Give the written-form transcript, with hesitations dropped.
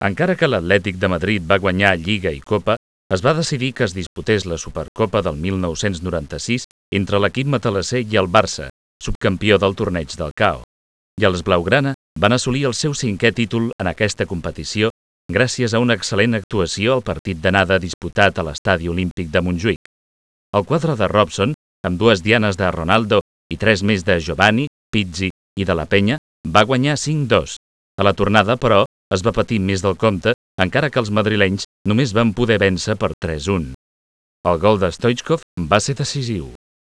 Encara que l'Atlètic de Madrid va guanyar Lliga i Copa, es va decidir que es disputés la Supercopa del 1996 entre l'equip matalasser i el Barça, subcampió del torneig del CAO. I els blaugrana van assolir el seu 5è títol en aquesta competició gràcies a una excel·lent actuació al partit d'anada disputat a l'Estadi Olímpic de Montjuïc. El quadre de Robson, amb 2 dianes de Ronaldo i 3 més de Giovanni, Pizzi i de la Penya, va guanyar 5-2. A la tornada, però, es va patir més del compte, encara que els madrilenys només van poder vèncer per 3-1. El gol de Stoichkov va ser decisiu.